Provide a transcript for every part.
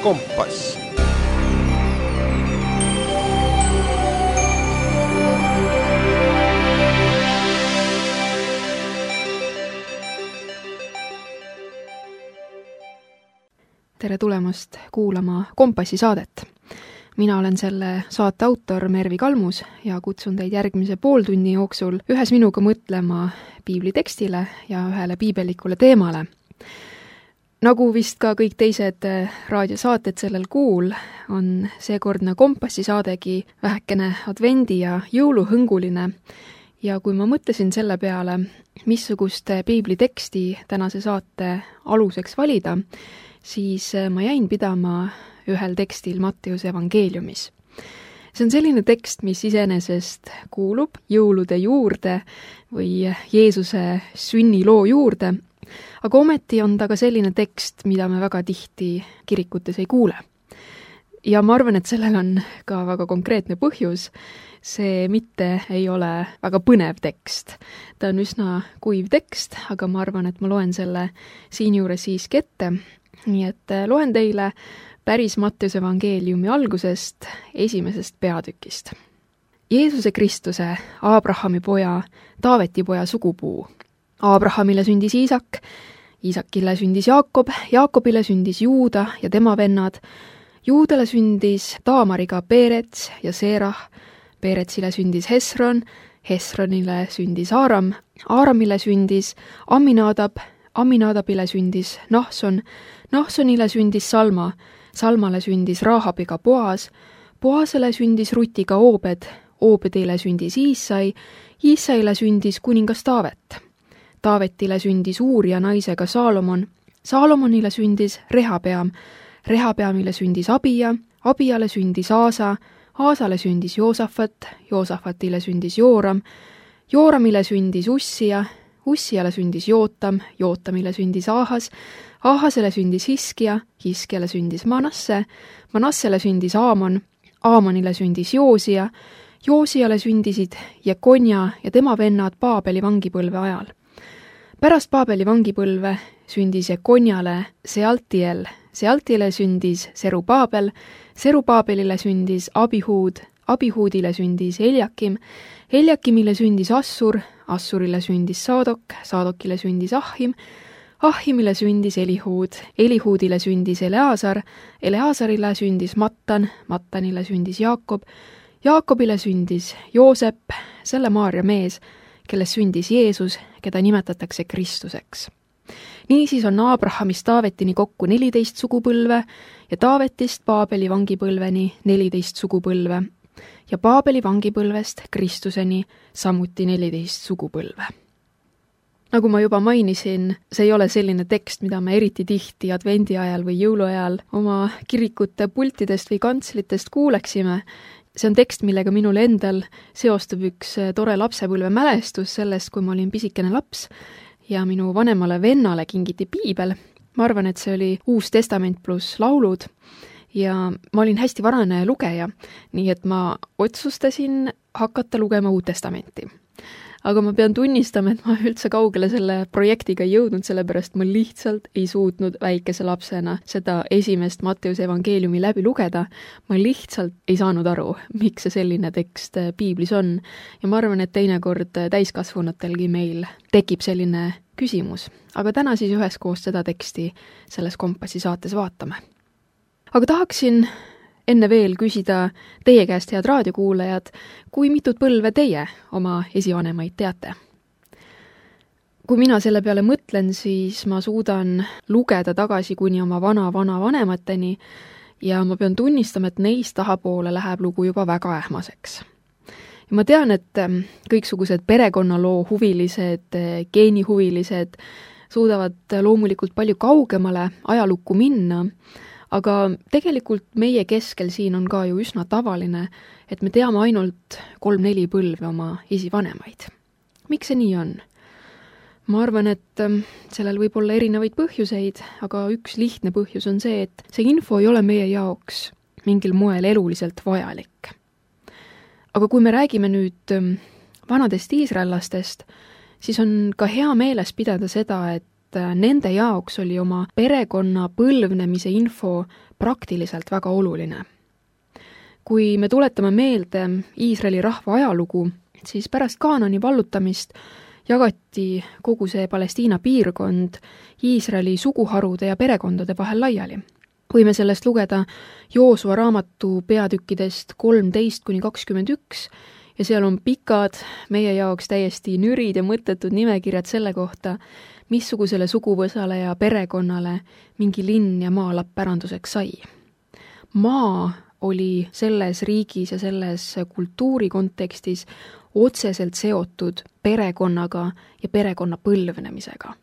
Kompass. Tere tulemast kuulama Kompassi saadet. Mina olen selle saate autor Mervi Kalmus ja kutsun teid järgmise pooltunni jooksul ühes minuga mõtlema piibli tekstile ja ühele piibelikule teemale. Nagu vist ka kõik teised raadiosaated sellel kuul, on seekordne Kompassi saadegi vähekene advendi- ja jõuluhõnguline. Ja kui ma mõtlesin selle peale, missugust piibli teksti tänase saate aluseks valida, siis ma jäin pidama ühel tekstil Matteuse evangeeliumis. See on selline tekst, mis iseenesest kuulub jõulude juurde või Jeesuse sünniloo juurde, aga ometi on ta ka selline tekst, mida me väga tihti kirikutes ei kuule. Ja ma arvan, et sellel on ka väga konkreetne põhjus. See mitte ei ole väga põnev tekst. Ta on üsna kuiv tekst, aga ma arvan, et ma loen selle siinjuures siiski ette. Nii et loen teile päris Matteuse evangeeliumi algusest, esimesest peatükist. Jeesuse Kristuse, Abrahami poja, Taaveti poja sugupuu. Abrahamile sündis Iisak, Iisakile sündis Jaakob, Jaakobile sündis Juuda ja tema vennad. Juudale sündis Taamariga Peerets ja Seerah, Peeretsile sündis Hesron, Hesronile sündis Aaram, Aaramile sündis Amminadab, Amminadabile sündis Nahson, Nahsonile sündis Salma, Salmale sündis Raahabiga Boas, Boasele sündis Rutiga Oobed, Oobedile sündis Iissai, Iissaile sündis kuningas Taavet. Taavetile sündis Uuria naisega Saalomon, Saalomonile sündis Rehabeam, Rehabeamile sündis Abia, Abiale sündis Aasa, Aasale sündis Joosafat, Joosafatile sündis Jooram, Jooramile sündis Ussia, Ussiale sündis Jootam, Jootamile sündis Aahas, Aahasele sündis Hiskia, Hiskiale sündis Manasse, Manassele sündis Aamon, Aamonile sündis Joosia, Joosiale sündisid Jekonja ja tema vennad Paabeli vangipõlve ajal. Pärast Paabeli vangipõlve sündis Jekonjale Sealtiel, Sealtiele sündis Serubaabel, Serubaabelile sündis Abihuud, Abihuudile sündis Eljakim, Eljakimile sündis Assur, Assurile sündis Saadok, Saadokile sündis Ahim, Ahimile sündis Elihuud, Elihuudile sündis Eleazar, Eleazarile sündis Mattan, Mattanile sündis Jaakob, Jaakobile sündis Joosep, selle Maarja mees, kellest sündis Jeesus, keda nimetatakse Kristuseks. Niisiis on Abrahamist Taavetini kokku 14 sugupõlve ja Taavetist Paabeli vangipõlveni 14 sugupõlve ja Paabeli vangipõlvest Kristuseni samuti 14 sugupõlve. Nagu ma juba mainisin, see ei ole selline tekst, mida me eriti tihti advendi ajal või jõuluajal oma kirikute pultidest või kantslitest kuuleksime. See on tekst, millega minul endal seostub üks tore lapsepõlve mälestus sellest, kui ma olin pisikene laps ja minu vanemale vennale kingiti piibel. Ma arvan, et see oli Uus Testament pluss laulud ja ma olin hästi varane lugeja, nii et ma otsustasin hakata lugema Uut Testamenti. Aga ma pean tunnistama, et ma üldse kaugele selle projektiga ei jõudnud, sellepärast ma lihtsalt ei suutnud väikese lapsena seda esimest Matteuse evangeeliumi läbi lugeda. Ma lihtsalt ei saanud aru, miks see selline tekst piiblis on. Ja ma arvan, et teinekord täiskasvanutelgi meil tekib selline küsimus. Aga täna siis üheskoos seda teksti selles Kompassi saates vaatame. Aga tahaksin enne veel küsida teie käest, head raadiokuulajad, kui mitut põlve teie oma esivanemaid teate? Kui mina selle peale mõtlen, siis ma suudan lugeda tagasi kuni oma vana-vanemateni ja ma pean tunnistama, et neist tahapoole läheb lugu juba väga ähmaseks. Ja ma tean, et kõiksugused perekonnaloo huvilised, geenihuvilised suudavad loomulikult palju kaugemale ajalukku minna, aga tegelikult meie keskel siin on ka ju üsna tavaline, et me teame ainult 3-4 põlve oma esivanemaid. Miks see nii on? Ma arvan, et sellel võib olla erinevaid põhjuseid, aga üks lihtne põhjus on see, et see info ei ole meie jaoks mingil moel eluliselt vajalik. Aga kui me räägime nüüd vanadest iisraellastest, siis on ka hea meeles pidada seda, et nende jaoks oli oma perekonna põlvnemise info praktiliselt väga oluline. Kui me tuletame meelde Iisraeli rahva ajalugu, siis pärast Kaanani vallutamist jagati kogu see Palestiina piirkond Iisraeli suguharude ja perekondade vahel laiali. Võime sellest lugeda Joosua raamatu peatükkidest 13–21 ja seal on pikad, meie jaoks täiesti nürid ja mõttetud nimekirjad selle kohta, missugusele suguvõsale ja perekonnale mingi linn ja maalapp päranduseks sai. Maa oli selles riigis ja selles kultuuri kontekstis otseselt seotud perekonnaga ja perekonna põlvnemisega.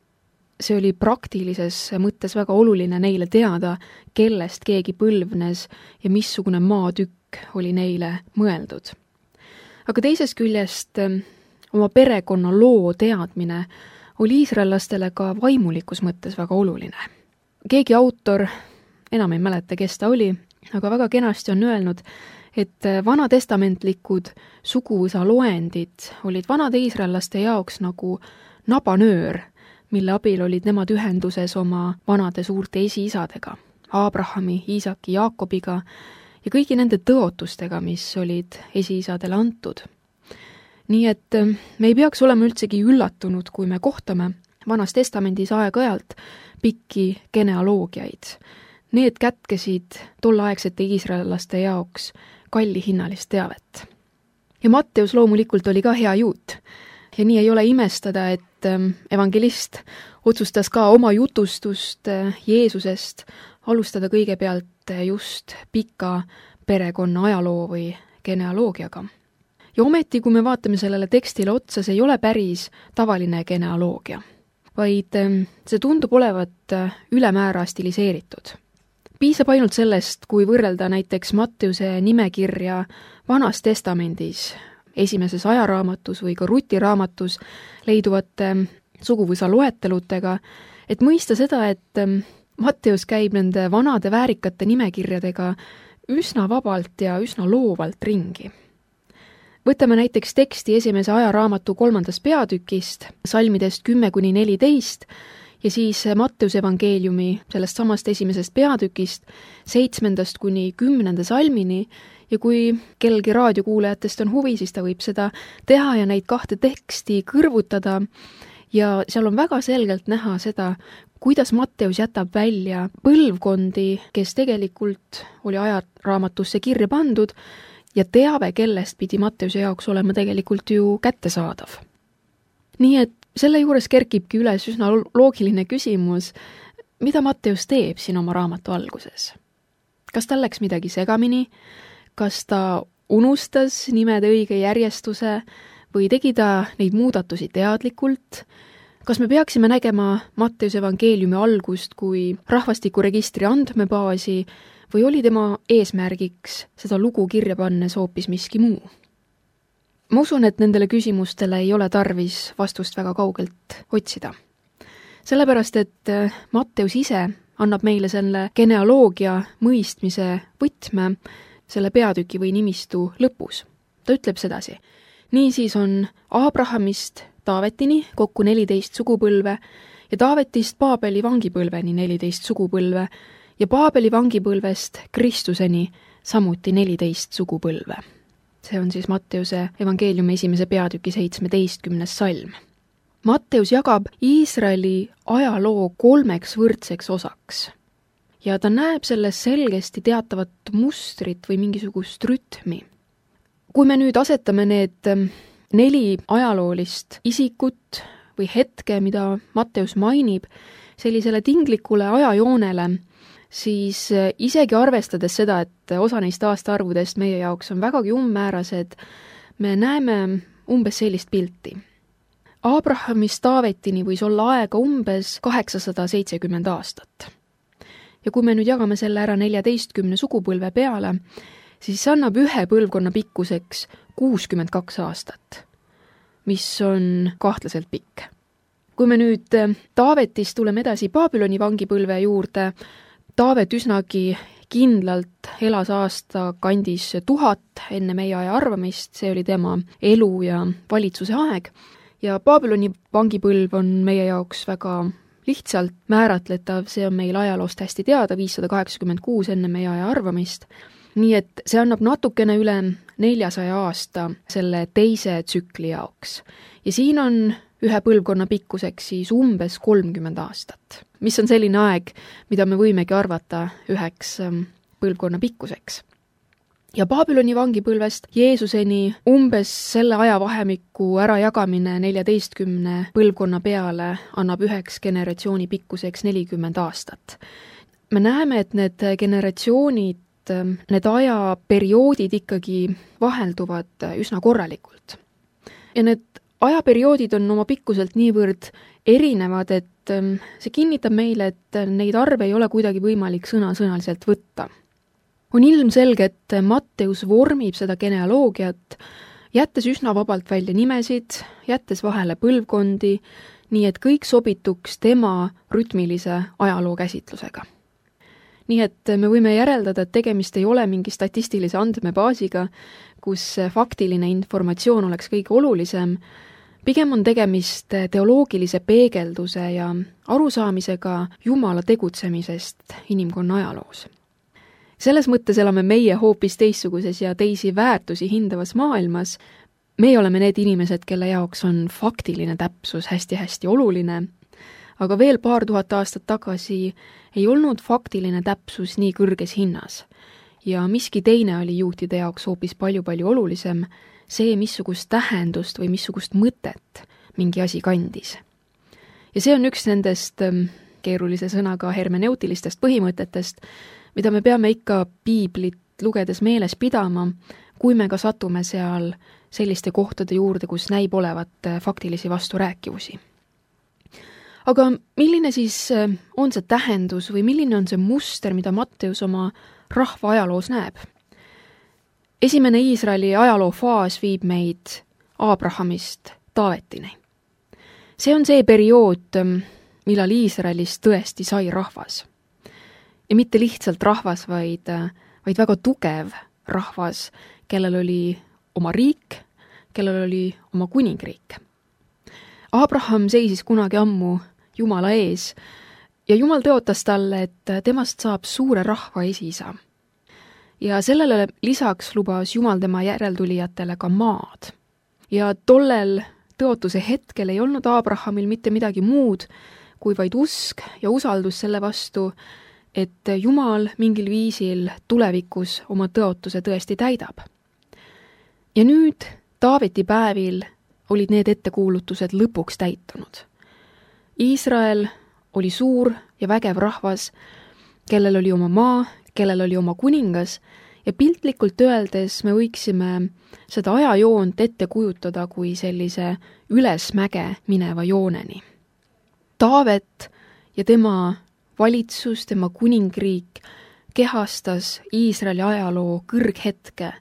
See oli praktilises mõttes väga oluline neile teada, kellest keegi põlvnes ja missugune maatükk oli neile mõeldud. Aga teisest küljest oma perekonna loo teadmine oli iisraellastele ka vaimulikus mõttes väga oluline. Keegi autor, enam ei mäleta, kes ta oli, aga väga kenasti on öelnud, et vanatestamentlikud suguvõsa loendid olid vanade iisraellaste jaoks nagu nabanöör, mille abil olid nemad ühenduses oma vanade suurte esiisadega, Abrahami, Iisaki, Jaakobiga ja kõigi nende tõotustega, mis olid esiisadele antud. Nii et me ei peaks olema üldsegi üllatunud, kui me kohtame Vanas Testamendis aeg-ajalt pikki genealoogiaid. Need kätkesid tolleaegsete iisraellaste jaoks kallihinnalist teavet. Ja Matteus loomulikult oli ka hea juut. Ja nii ei ole imestada, et evangelist otsustas ka oma jutustust Jeesusest alustada kõigepealt just pika perekonna ajaloo või genealoogiaga. Ja ometi, kui me vaatame sellele tekstile otsa, see ei ole päris tavaline genealoogia, vaid see tundub olevat ülemäära stiliseeritud. Piisab ainult sellest, kui võrrelda näiteks Matteuse nimekirja Vanas Testamendis, esimeses ajaraamatus või ka Ruti raamatus leiduvate suguvõsa loetelutega, et mõista seda, et Matteus käib nende vanade väärikate nimekirjadega üsna vabalt ja üsna loovalt ringi. Võtame näiteks teksti esimese ajaraamatu 3. peatükist, salmidest 10–14, ja siis Matteuse evangeeliumi sellest samast esimesest peatükist 7–10 salmini ja kui kellelgi raadiokuulajatest on huvi, siis ta võib seda teha ja neid kahte teksti kõrvutada ja seal on väga selgelt näha seda, kuidas Matteus jätab välja põlvkondi, kes tegelikult oli ajaraamatusse kirja pandud ja teave, kellest pidi Matteuse jaoks olema tegelikult ju kättesaadav. Nii et selle juures kerkibki üles üsna loogiline küsimus, mida Matteus teeb siin oma raamatu alguses. Kas tal läks midagi segamini? Kas ta unustas nimede õige järjestuse või tegi ta neid muudatusi teadlikult? Kas me peaksime nägema Matteuse evangeeliumi algust kui rahvastikuregistri andmebaasi või oli tema eesmärgiks seda lugu kirja pannes hoopis miski muu? Ma usun, et nendele küsimustele ei ole tarvis vastust väga kaugelt otsida. Sellepärast, et Matteus ise annab meile selle genealoogia mõistmise võtme selle peatüki või nimistu lõpus. Ta ütleb sedasi. Niisiis on Abrahamist Taavetini kokku 14 sugupõlve ja Taavetist Paabeli vangipõlveni 14 sugupõlve ja Paabeli vangipõlvest Kristuseni samuti 14 sugupõlve. See on siis Matteuse evangeeliumi esimese peatüki 17. salm. Matteus jagab Iisraeli ajaloo 3 võrdseks osaks ja ta näeb selles selgesti teatavat mustrit või mingisugust rütmi. Kui me nüüd asetame need 4 ajaloolist isikut või hetke, mida Matteus mainib, sellisele tinglikule ajajoonele, siis isegi arvestades seda, et osa neist aastaarvudest meie jaoks on vägagi ummäärased, me näeme umbes sellist pilti. Abrahamist Taavetini võis olla aega umbes 870 aastat. Ja kui me nüüd jagame selle ära 14 sugupõlve peale, siis annab ühe põlvkonna pikkuseks 62 aastat, mis on kahtlaselt pikk. Kui me nüüd Taavetist tuleme edasi Babyloni vangipõlve juurde, Taavet üsnagi kindlalt elas aasta kandis 1000 enne meie aja arvamist, see oli tema elu ja valitsuse aeg ja Babyloni vangipõlv on meie jaoks väga lihtsalt määratletav, see on meil ajaloost hästi teada, 586 enne meie aja arvamist, nii et see annab natukene üle 400 aasta selle teise tsükli jaoks. Ja siin on ühe põlvkonna pikkuseks siis umbes 30 aastat, mis on selline aeg, mida me võimegi arvata üheks põlvkonna pikkuseks. Ja Babyloni vangipõlvest Jeesuseni umbes selle ajavahemiku ärajagamine 14 põlvkonna peale annab üheks generatsiooni pikkuseks 40 aastat. Me näeme, et need generatsioonid, need ajaperioodid ikkagi vahelduvad üsna korralikult. Ja need ajaperioodid on oma pikkuselt niivõrd erinevad, et see kinnitab meile, et neid arve ei ole kuidagi võimalik sõnasõnaliselt võtta. On ilmselge, et Matteus vormib seda genealoogiat, jättes üsna vabalt välja nimesid, jättes vahele põlvkondi, nii et kõik sobituks tema rütmilise ajaloo käsitlusega. Nii et me võime järeldada, et tegemist ei ole mingi statistilise andmebaasiga, kus faktiline informatsioon oleks kõige olulisem, pigem on tegemist teoloogilise peegelduse ja arusaamisega Jumala tegutsemisest inimkonna ajaloos. Selles mõttes elame meie hoopis teistsuguses ja teisi väärtusi hindavas maailmas. Meie oleme need inimesed, kelle jaoks on faktiline täpsus hästi-hästi oluline, aga veel paar tuhat aastat tagasi ei olnud faktiline täpsus nii kõrges hinnas. Ja miski teine oli juutide jaoks hoopis palju-palju olulisem, see, missugust tähendust või missugust mõtet mingi asi kandis. Ja see on üks nendest keerulise sõnaga hermeneutilistest põhimõtetest, mida me peame ikka piiblit lugedes meeles pidama, kui me ka satume seal selliste kohtade juurde, kus näib olevat faktilisi vasturääkivusi. Aga milline siis on see tähendus või milline on see muster, mida Matteus oma rahva ajaloos näeb? Esimene Iisraeli ajaloofaas viib meid Abrahamist Taavetini. See on see periood, millal Iisraelis tõesti sai rahvas. Ja mitte lihtsalt rahvas, vaid väga tugev rahvas, kellel oli oma riik, kellel oli oma kuningriik. Abraham seisis kunagi ammu Jumala ees ja Jumal tõotas talle, et temast saab suure rahva esiisa. Ja sellele lisaks lubas Jumal tema järeltulijatele ka maad. Ja tollel tõotuse hetkel ei olnud Abrahamil mitte midagi muud, kui vaid usk ja usaldus selle vastu, et Jumal mingil viisil tulevikus oma tõotuse tõesti täidab. Ja nüüd Taaveti päevil olid need ettekuulutused lõpuks täitunud. Iisrael oli suur ja vägev rahvas, kellel oli oma maa, kellel oli oma kuningas ja piltlikult öeldes me võiksime seda ajajoont ette kujutada kui sellise ülesmäge mineva jooneni. Taavet ja tema valitsus, tema kuningriik kehastas Iisraeli ajaloo kõrghetke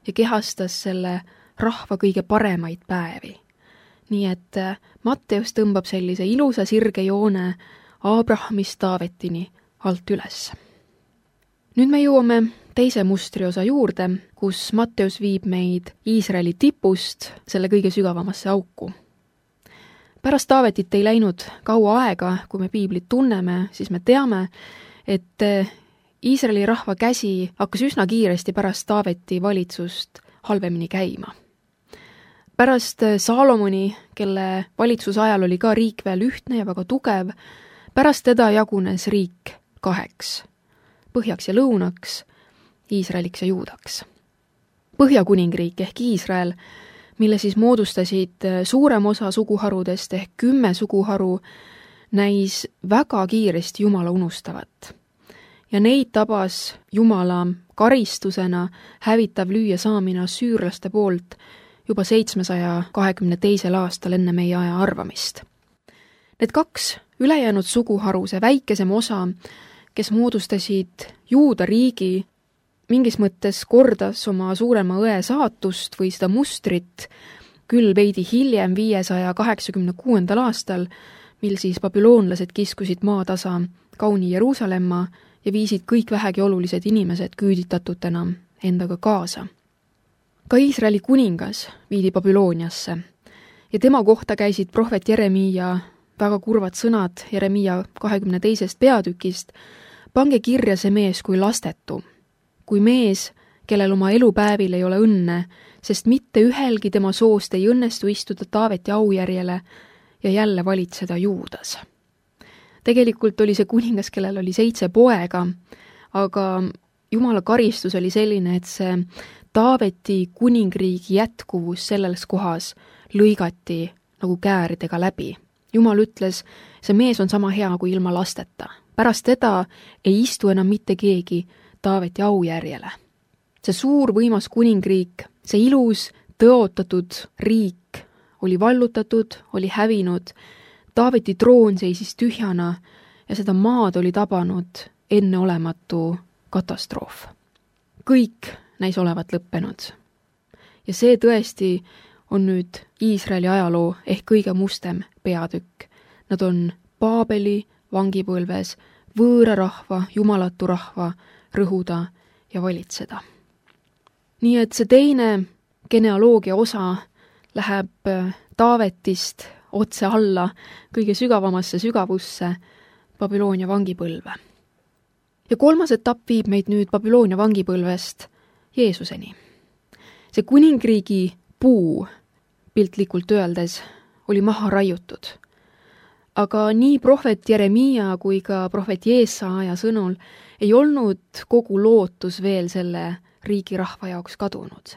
ja kehastas selle rahva kõige paremaid päevi. Nii et Matteus tõmbab sellise ilusa sirge joone Abrahamist Taavetini alt üles. Nüüd me jõuame teise mustriosa juurde, kus Matteus viib meid Iisraeli tipust selle kõige sügavamasse auku. Pärast Taavetit ei läinud kaua aega, kui me piiblit tunneme, siis me teame, et Iisraeli rahva käsi hakkas üsna kiiresti pärast Taaveti valitsust halvemini käima. Pärast Saalomoni, kelle valitsuse ajal oli ka riik veel ühtne ja väga tugev, pärast teda jagunes riik kaheks, põhjaks ja lõunaks, Iisraeliks ja juudaks. Põhjakuningriik ehk Iisrael, mille siis moodustasid suurem osa suguharudest ehk 10 suguharu, näis väga kiiresti Jumala unustavat. Ja neid tabas Jumala karistusena hävitav lüüa saamine süürlaste poolt juba 722. aastal enne meie aja arvamist. Need kaks ülejäänud suguharu, see väikesem osa, kes moodustasid Juuda riigi, mingis mõttes kordas oma suurema õe saatust või seda mustrit küll veidi hiljem 586. aastal, mil siis babüloonlased kiskusid maatasa kauni Jeruusalemma ja viisid kõik vähegi olulised inimesed küüditatutena endaga kaasa. Ka Iisraeli kuningas viidi Babülooniasse ja tema kohta käisid prohvet Jeremiia väga kurvad sõnad Jeremiia 22. peatükist: pange kirja see mees kui lastetu, kui mees, kellel oma elupäevil ei ole õnne, sest mitte ühelgi tema soost ei õnnestu istuda Taaveti aujärjele ja jälle valitseda Juudas. Tegelikult oli see kuningas, kellel oli 7 poega, aga Jumala karistus oli selline, et see Taaveti kuningriigi jätkuvus selles kohas lõigati nagu kääridega läbi. Jumal ütles, see mees on sama hea kui ilma lasteta. Pärast teda ei istu enam mitte keegi Taaveti aujärjele. See suur võimas kuningriik, see ilus, tõotatud riik oli vallutatud, oli hävinud, Taaveti troon seisis tühjana ja seda maad oli tabanud enneolematu katastroof. Kõik näis olevat lõppenud. Ja see tõesti on nüüd Iisraeli ajaloo ehk kõige mustem peatükk. Nad on Paabeli vangipõlves võõra rahva, jumalatu rahva rõhuda ja valitseda. Nii et see teine genealoogia osa läheb Taavetist otse alla kõige sügavamasse sügavusse Babyloonia vangipõlve. Ja 3. etapp viib meid nüüd Babyloonia vangipõlvest Jeesuseni. See kuningriigi puu, piltlikult öeldes, oli maha raiutud. Aga nii prohvet Jeremiia kui ka prohvet Jeesaja sõnul ei olnud kogu lootus veel selle riigi rahva jaoks kadunud.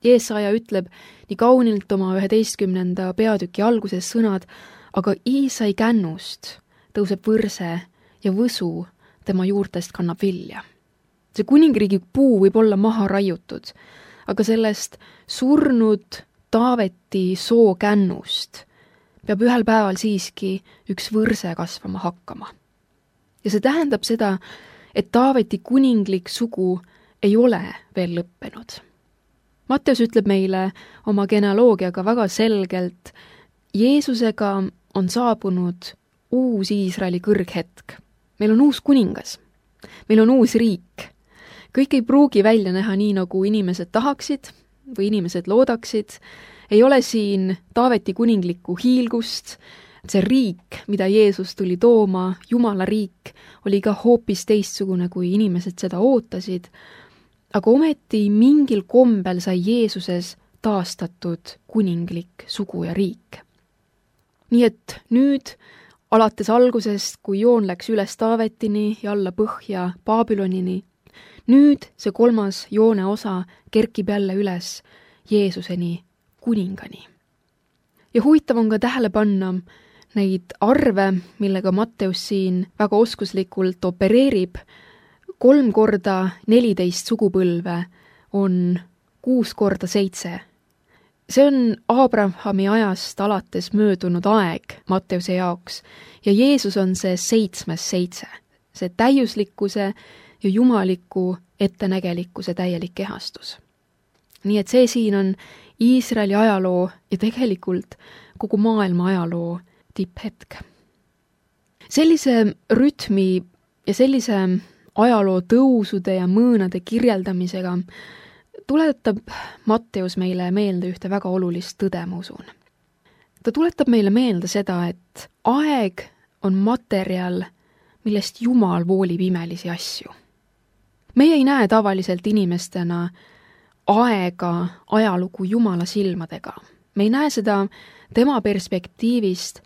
Jeesaja ütleb nii kaunilt oma 11. peatüki alguses sõnad, aga Iisai kännust tõuseb võrse ja võsu tema juurtest kannab vilja. See kuningriigi puu võib olla maha raiutud, aga sellest surnud Taaveti soo kännust peab ühel päeval siiski üks võrse kasvama hakkama. Ja see tähendab seda, et Taaveti kuninglik sugu ei ole veel lõppenud. Matteus ütleb meile oma genealoogiaga väga selgelt, Jeesusega on saabunud uus Iisraeli kõrghetk. Meil on uus kuningas. Meil on uus riik. Kõik ei pruugi välja näha nii, nagu inimesed tahaksid või inimesed loodaksid. Ei ole siin Taaveti kuninglikku hiilgust. See riik, mida Jeesus tuli tooma, Jumala riik, oli ka hoopis teistsugune, kui inimesed seda ootasid. Aga ometi mingil kombel sai Jeesuses taastatud kuninglik sugu ja riik. Nii et nüüd, alates algusest, kui joon läks üles Taavetini ja alla põhja Babylonini, nüüd see 3. joone osa kerkib jälle üles Jeesuseni, kuningani. Ja huvitav on ka tähele panna neid arve, millega Matteus siin väga oskuslikult opereerib. 3 korda 14 sugupõlve on 6 korda 7. See on Abrahami ajast alates möödunud aeg Matteuse jaoks ja Jeesus on see 7. 7. See täiuslikkuse ja jumaliku ettenägelikkuse täielik kehastus. Nii et see siin on Iisraeli ajaloo ja tegelikult kogu maailma ajaloo tipphetk. Sellise rütmi ja sellise ajaloo tõusude ja mõõnade kirjeldamisega tuletab Matteus meile meelde ühte väga olulist tõde, ma usun. Ta tuletab meile meelde seda, et aeg on materjal, millest Jumal voolib imelisi asju. Meie ei näe tavaliselt inimestena aega, ajalugu Jumala silmadega. Me ei näe seda tema perspektiivist,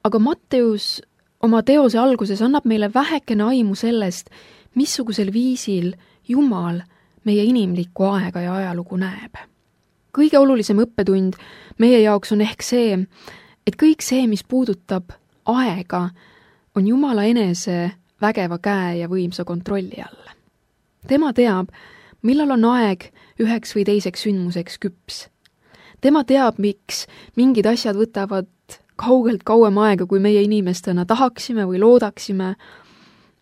aga Matteus oma teose alguses annab meile vähekene aimu sellest, missugusel viisil Jumal meie inimlikku aega ja ajalugu näeb. Kõige olulisem õppetund meie jaoks on ehk see, et kõik see, mis puudutab aega, on Jumala enese vägeva käe ja võimsa kontrolli all. Tema teab, millal on aeg üheks või teiseks sündmuseks küps. Tema teab, miks mingid asjad võtavad kaugelt kauem aega, kui meie inimestena tahaksime või loodaksime.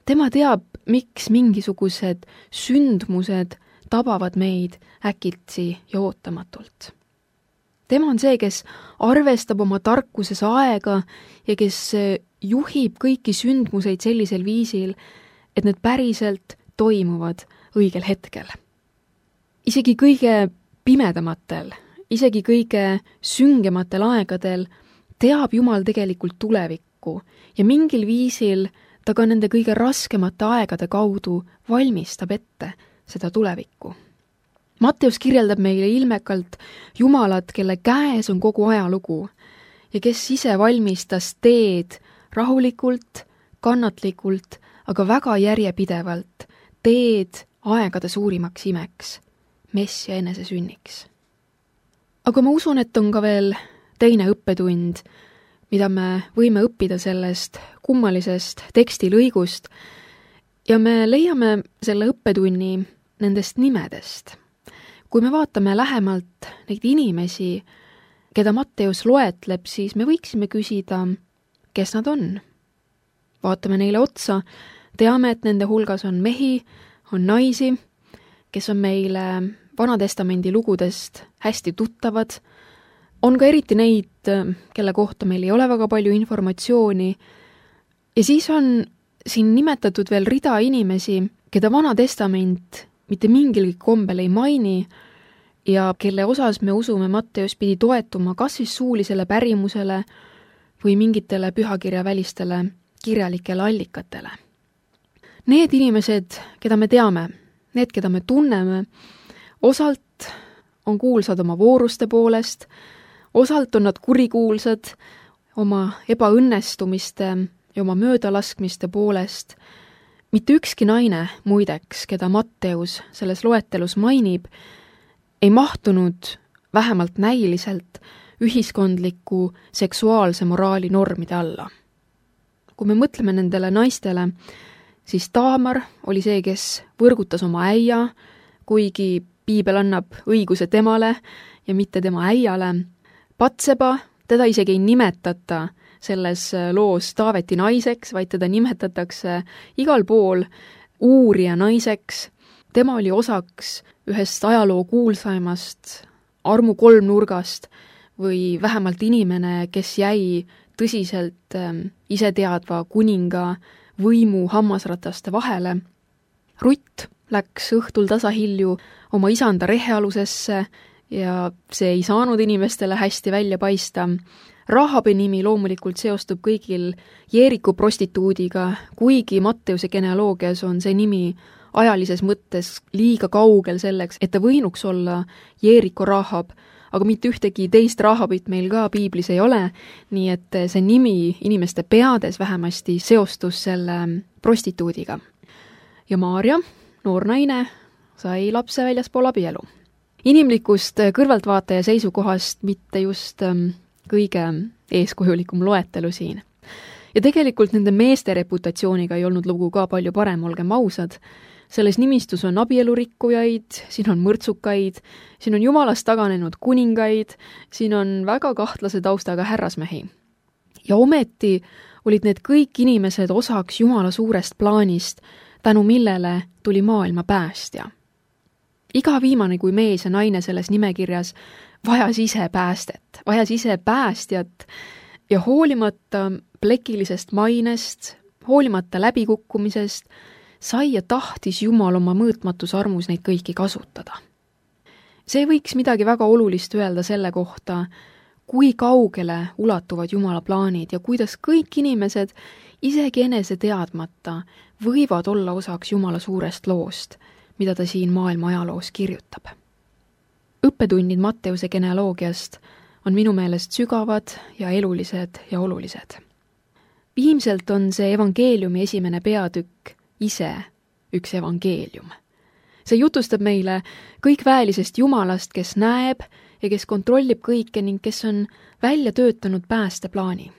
Tema teab, miks mingisugused sündmused tabavad meid äkitsi ja ootamatult. Tema on see, kes arvestab oma tarkuses aega ja kes juhib kõiki sündmuseid sellisel viisil, et need päriselt toimuvad õigel hetkel. Isegi kõige pimedamatel, isegi kõige süngematel aegadel teab Jumal tegelikult tulevikku ja mingil viisil ta ka nende kõige raskemate aegade kaudu valmistab ette seda tulevikku. Matteus kirjeldab meile ilmekalt Jumalat, kelle käes on kogu ajalugu ja kes ise valmistas teed rahulikult, kannatlikult, aga väga järjepidevalt, teed aegade suurimaks imeks, Messia enesesünniks. Aga ma usun, et on ka veel teine õppetund, mida me võime õppida sellest kummalisest tekstilõigust ja me leiame selle õppetunni nendest nimedest. Kui me vaatame lähemalt neid inimesi, keda Matteus loetleb, siis me võiksime küsida, kes nad on. Vaatame neile otsa, teame, et nende hulgas on mehi, on naisi, kes on meile Vanatestamendi lugudest hästi tuttavad. On ka eriti neid, kelle kohta meil ei ole väga palju informatsiooni. Ja siis on siin nimetatud veel rida inimesi, keda Vanatestament mitte mingilgi kombel ei maini ja kelle osas me usume Matteus pidi toetuma kas siis suulisele pärimusele või mingitele pühakirja välistele kirjalikele allikatele. Need inimesed, keda me teame, need, keda me tunneme, osalt on kuulsad oma vooruste poolest, osalt on nad kurikuulsad oma ebaõnnestumiste ja oma möödalaskmiste poolest. Mitte ükski naine, muideks, keda Matteus selles loetelus mainib, ei mahtunud vähemalt näiliselt ühiskondliku seksuaalse moraali normide alla. Kui me mõtleme nendele naistele, siis Taamar oli see, kes võrgutas oma äia, kuigi piibel annab õiguse temale ja mitte tema äiale. Patseba, teda isegi ei nimetata selles loos Taaveti naiseks, vaid teda nimetatakse igal pool uurija naiseks. Tema oli osaks ühest ajaloo kuulsaimast armu kolmnurgast või vähemalt inimene, kes jäi tõsiselt iseteadva kuninga võimu hammasrataste vahele. Rutt läks õhtul tasahilju oma isanda rehealusesse ja see ei saanud inimestele hästi välja paista. Rahabi nimi loomulikult seostub kõigil Jeeriku prostituudiga, kuigi Matteuse genealoogias on see nimi ajalises mõttes liiga kaugel selleks, et ta võinuks olla Jeeriku Rahab, aga mitte ühtegi teist Rahabit meil ka piiblis ei ole, nii et see nimi inimeste peades vähemasti seostus selle prostituudiga. Ja Maarja, noor naine, sai lapse väljaspool abielu. Inimlikust kõrvaltvaataja seisukohast mitte just kõige eeskujulikum loetelu siin. Ja tegelikult nende meeste reputatsiooniga ei olnud lugu ka palju parem, olgem ausad. Selles nimistus on abielurikkujaid, siin on mõrtsukaid, siin on jumalast taganenud kuningaid, siin on väga kahtlase taustaga härrasmehi. Ja ometi olid need kõik inimesed osaks Jumala suurest plaanist, tänu millele tuli maailma päästja. Iga viimane kui mees ja naine selles nimekirjas vajas ise päästet, vajas ise päästjat ja hoolimata plekilisest mainest, hoolimata läbikukkumisest, sai ja tahtis Jumal oma mõõtmatus armus neid kõiki kasutada. See võiks midagi väga olulist öelda selle kohta, kui kaugele ulatuvad Jumala plaanid ja kuidas kõik inimesed isegi enese teadmata võivad olla osaks Jumala suurest loost, mida ta siin maailma ajaloos kirjutab. Õppetunnid Matteuse genealoogiast on minu meelest sügavad ja elulised ja olulised. Viimselt on see evangeeliumi esimene peatükk ise üks evangeelium. See jutustab meile kõikväelisest Jumalast, kes näeb ja kes kontrollib kõike ning kes on välja töötanud päästeplaani.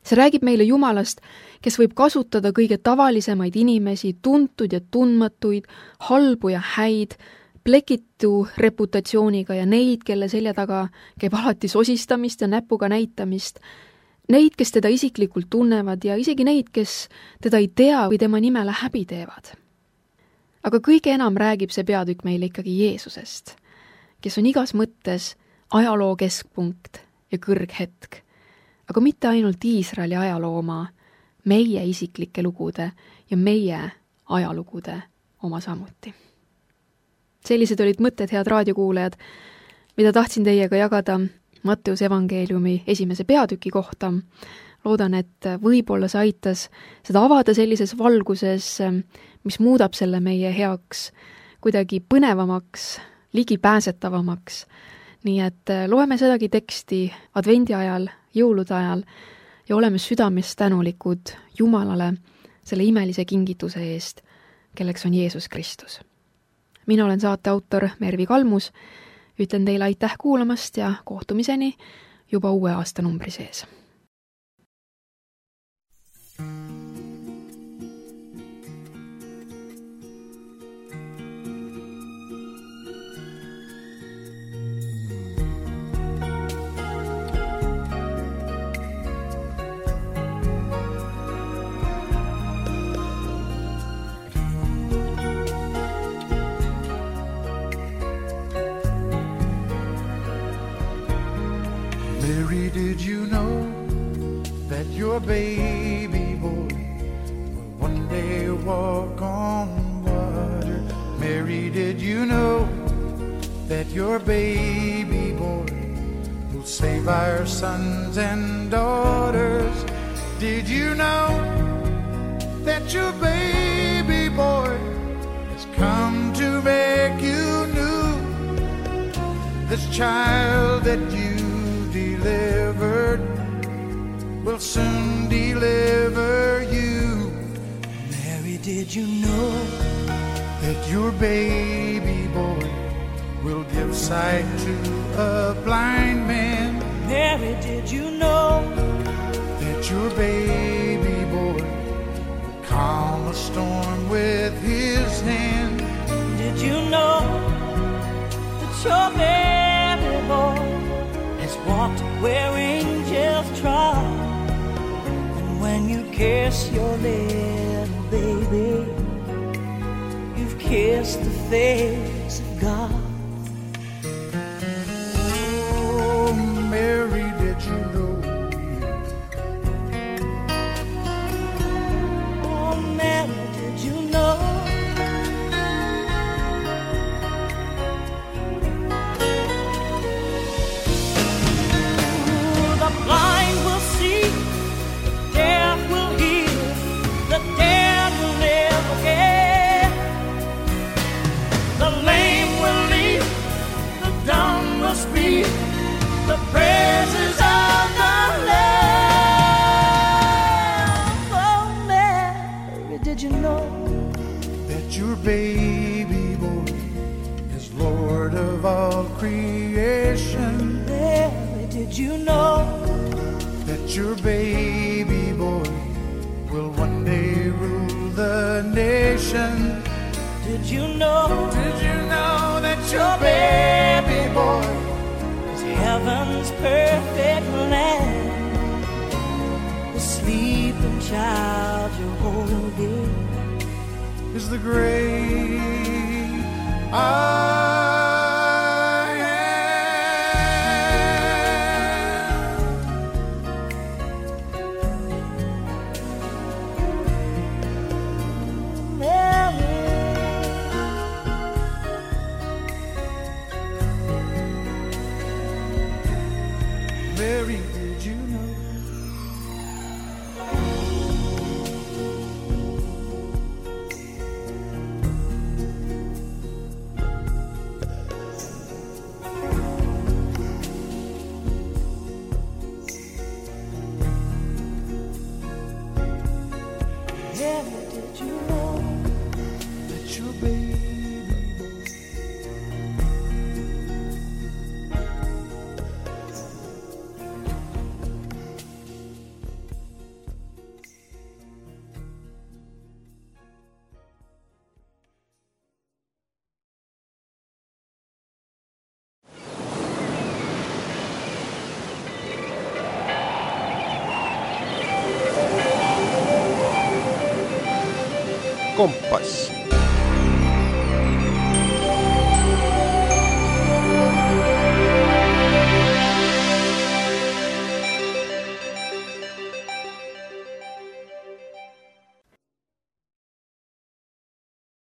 See räägib meile Jumalast, kes võib kasutada kõige tavalisemaid inimesi, tuntud ja tundmatuid, halbu ja häid, plekitu reputatsiooniga ja neid, kelle selja taga käib alati sosistamist ja näpuga näitamist, neid, kes teda isiklikult tunnevad ja isegi neid, kes teda ei tea või tema nimele häbi teevad. Aga kõige enam räägib see peatükk meile ikkagi Jeesusest, kes on igas mõttes ajaloo keskpunkt ja kõrghetk, aga mitte ainult Iisraeli ajaloo oma, meie isiklike lugude ja meie ajalugude oma samuti. Sellised olid mõtted, head raadiokuulajad, mida tahtsin teiega jagada Matteuse evangeeliumi 1. peatüki kohta. Loodan, et võib-olla see aitas seda avada sellises valguses, mis muudab selle meie heaks kuidagi põnevamaks, ligipääsetavamaks. Nii et loeme sedagi teksti advendi ajal, jõulude ajal ja oleme südames tänulikud Jumalale selle imelise kingituse eest, kelleks on Jeesus Kristus. Mina olen saate autor Mervi Kalmus, ütlen teile aitäh kuulamast ja kohtumiseni juba uue aastanumbri sees. Mary, did you know that your baby boy will one day walk on water? Mary, did you know that your baby boy will save our sons and daughters? Did you know that your baby boy has come to make you new? This child that you delivered will soon deliver you. Mary, did you know that your baby boy will give sight to a blind man? Mary, did you know that your baby boy will calm a storm with his hand? Did you know that your baby boy walked where angels trod? And when you kiss your little baby, you've kissed the face of God. Oh, Mary, did you know? Oh, Mary, did you know? The praises of the Lamb. Oh, Mary, did you know that your baby boy is Lord of all creation? Mary, did you know that your baby boy will one day rule the nation? Did you know that your baby boy is heaven's perfect land? The sleeping child you're holding is the great I Mary, did you know? Mary, did you know that your baby Kompass.